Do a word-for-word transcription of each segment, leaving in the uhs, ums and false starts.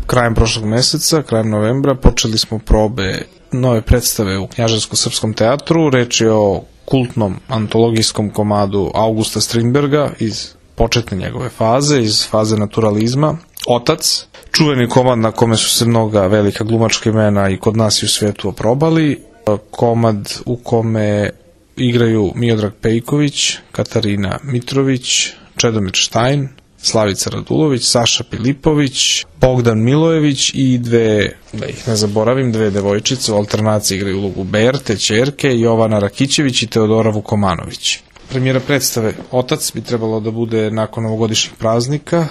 krajem prošlog meseca, krajem novembra, počeli smo probe nove predstave u Knjaževsko-srpskom teatru. Reč je o kultnom antologijskom komadu Augusta Strindberga iz početne njegove faze, iz faze naturalizma, Otac, čuveni komad na kome su se mnoga velika glumačka imena i kod nas i u svetu oprobali, komad u kome igraju Miodrag Pejković, Katarina Mitrović, Čedomir Štajn, Slavica Radulović, Saša Pilipović, Bogdan Milojević i dve, da ih ne zaboravim, dve devojčice u alternaciji igraju ulogu Berte, ćerke, Jovana Rakićević i Teodora Vukomanović. Premijera predstave Otac bi trebalo da bude nakon ovogodišnjih praznika,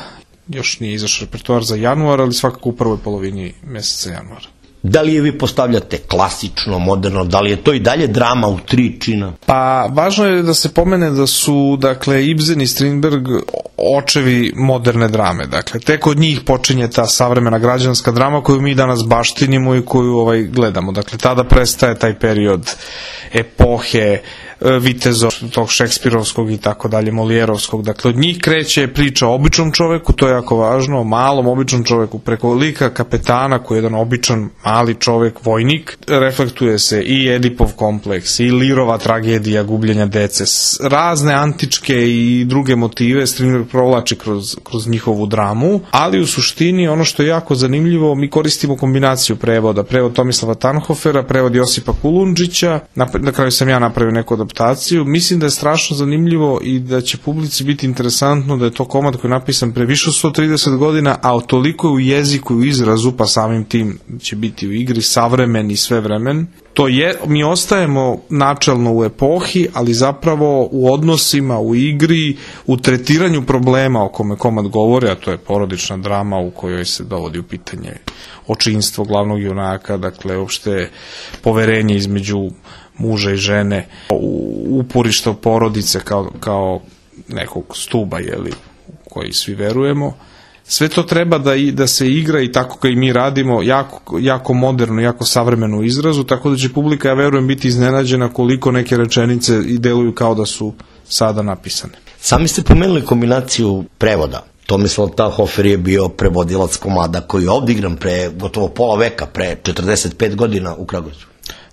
još nije izašao repertoar za januar, ali svakako u prvoj polovini meseca januara. Da li je vi postavljate klasično, moderno, da li je to i dalje drama u tri čina? Pa, važno je da se pomene da su, dakle, Ibsen i Strindberg očevi moderne drame. Dakle, tek od njih počinje ta savremena građanska drama koju mi danas baštinimo i koju ovaj, gledamo. Dakle, tada prestaje taj period epohe, vitezov, tog šekspirovskog i tako dalje, Molijerovskog. Dakle, od njih kreće priča o običnom čoveku, to je jako važno, o malom običnom čoveku, preko lika kapetana koji je jedan običan mali čovek, vojnik, reflektuje se i Edipov kompleks, i Lirova tragedija gubljenja dece, razne antičke i druge motive Strindberg provlači kroz, kroz njihovu dramu, ali u suštini ono što je jako zanimljivo, mi koristimo kombinaciju prevoda, prevod Tomislava Tanhofera, prevod Josipa Kulundžića, na, na kraju sam ja napravio neku adaptaciju. Mislim da je strašno zanimljivo i da će publici biti interesantno da je to komad koji je napisan pre više od sto trideset godina, a toliko je u jeziku i u izrazu, pa samim tim će biti u igri savremen i svevremen. To je, mi ostajemo načelno u epohi, ali zapravo u odnosima, u igri, u tretiranju problema o kome komad govori, a to je porodična drama u kojoj se dovodi u pitanje očinstvo glavnog junaka, dakle, uopšte poverenje između muža i žene, uporište porodice kao, kao nekog stuba, jeli, u koji svi verujemo. Sve to treba da, i, da se igra i tako kao i mi radimo, jako, jako moderno, jako savremeno u izrazu, tako da će publika, ja verujem, biti iznenađena koliko neke rečenice i deluju kao da su sada napisane. Sami ste pomenuli kombinaciju prevoda. Tomislav Tanhofer je bio prevodilac komada koji je ovdje igran pre gotovo pola veka, pre četrdeset pet godina u Kragujevcu.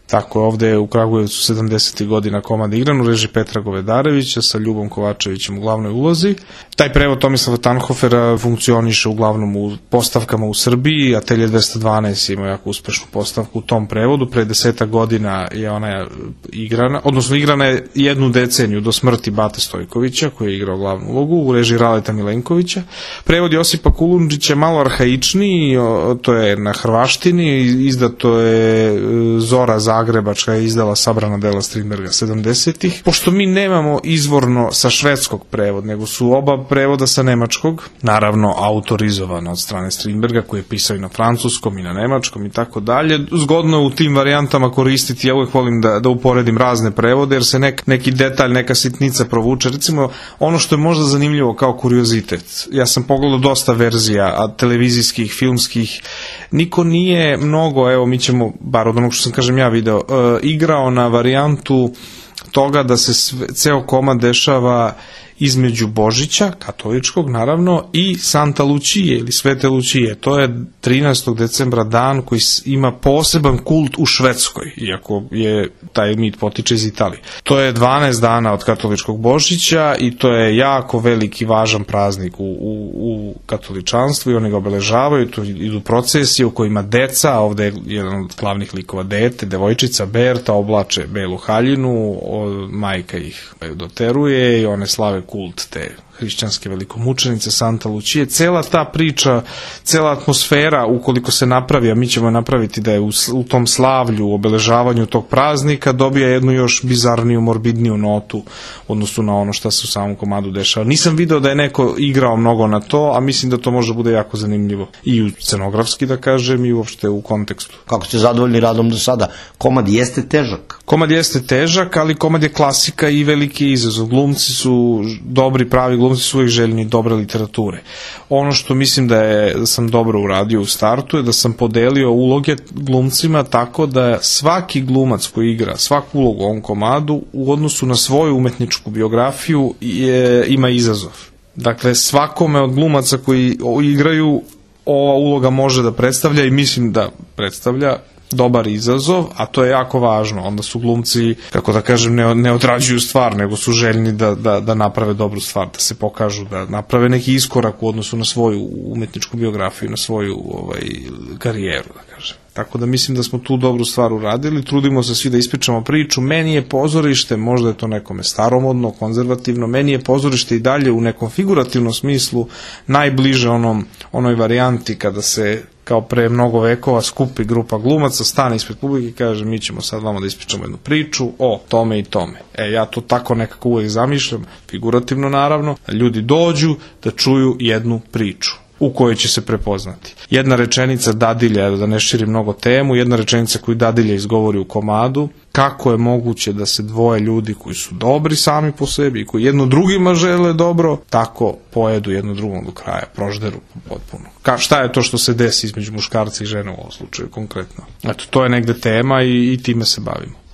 Tako je, ovde u Kragujevcu sedamdesetih godina komad igran u režiji Petra Govedarevića sa Ljubom Kovačevićem u glavnoj ulozi. Taj prevod Tomislava Tanhofera funkcioniše uglavnom u postavkama u Srbiji, Atelje dvesta dvanaest ima jako uspešnu postavku u tom prevodu, pre deseta godina je ona igrana, odnosno igrana je jednu deceniju do smrti Bate Stojkovića koji je igrao glavnu ulogu u režiji Raleta Milenkovića. Prevod Josipa Kulundžića je malo arhaičniji, to je na hrvaštini, izdato je Zora Zagrebačka je izdala sabrana dela Strindberga sedamdesetih. Pošto mi nemamo izvorno sa švedskog prevod, nego su oba prevoda sa nemačkog, naravno autorizovano od strane Strindberga koji je pisao i na francuskom i na nemačkom i tako dalje. Zgodno je u tim varijantama koristiti, ja uvijek volim da, da uporedim razne prevode, jer se nek, neki detalj, neka sitnica provuče. Recimo, ono što je možda zanimljivo kao kuriozitet, ja sam pogledao dosta verzija, a televizijskih, filmskih, niko nije mnogo, evo mi ćemo, bar od onog što sam kažem ja video, e, igrao na varijantu toga da se sve, ceo komad dešava između Božića, katoličkog naravno, i Santa Lucije ili Svete Lucije. To je trinaestog decembra dan koji ima poseban kult u Švedskoj, iako je taj mit potiče iz Italije. To je dvanaest dana od katoličkog Božića i to je jako veliki, važan praznik u, u, u katoličanstvu i oni ga obeležavaju, tu idu procesije u kojima deca, a ovde je jedan od glavnih likova dete, devojčica Berta, oblače belu haljinu, o, majka ih doteruje i one slave kult te hrišćanske velikomučenice Santa Lucije. Cela ta priča, cela atmosfera, ukoliko se napravi, a mi ćemo napraviti da je u, u tom slavlju, u obeležavanju tog praznika, dobija jednu još bizarniju, morbidniju notu u odnosu na ono što se u samom komadu dešava. Nisam video da je neko igrao mnogo na to, a mislim da to može bude jako zanimljivo. I u scenografski, da kažem, i uopšte u kontekstu. Kako ste zadovoljni radom do sada? Komad jeste težak? Komad jeste težak, ali komad je klasika i veliki izazov. Glumci su dobri, pravi glumci su uvijek željni dobre literature. Ono što mislim da, je, da sam dobro uradio u startu je da sam podelio uloge glumcima tako da svaki glumac koji igra svaku ulogu u ovom komadu u odnosu na svoju umetničku biografiju je, ima izazov. Dakle, svakome od glumaca koji igraju ova uloga može da predstavlja i mislim da predstavlja dobar izazov, a to je jako važno. Onda su glumci, kako da kažem, ne, ne odrađuju stvar, nego su željni da, da, da naprave dobru stvar, da se pokažu, da naprave neki iskorak u odnosu na svoju umetničku biografiju, na svoju ovaj, karijeru, da kažem. Tako da mislim da smo tu dobru stvar uradili, trudimo se svi da ispričamo priču. Meni je pozorište, možda je to nekome staromodno, konzervativno, meni je pozorište i dalje u nekom figurativnom smislu najbliže onom, onoj varijanti kada se kao pre mnogo vekova skupi grupa glumaca, stane ispred publike i kaže mi ćemo sad vama da ispričamo jednu priču o tome i tome. E, ja to tako nekako uvek zamišljam, figurativno naravno, da ljudi dođu da čuju jednu priču u kojoj će se prepoznati. Jedna rečenica dadilja, da ne širim mnogo temu, jedna rečenica koju dadilja izgovori u komadu, kako je moguće da se dvoje ljudi koji su dobri sami po sebi i koji jedno drugima žele dobro, tako pojedu jedno drugom do kraja, prožderu potpuno. Ka, šta je to što se desi između muškarca i žene u ovom slučaju konkretno? Eto, to je negde tema i, i time se bavimo.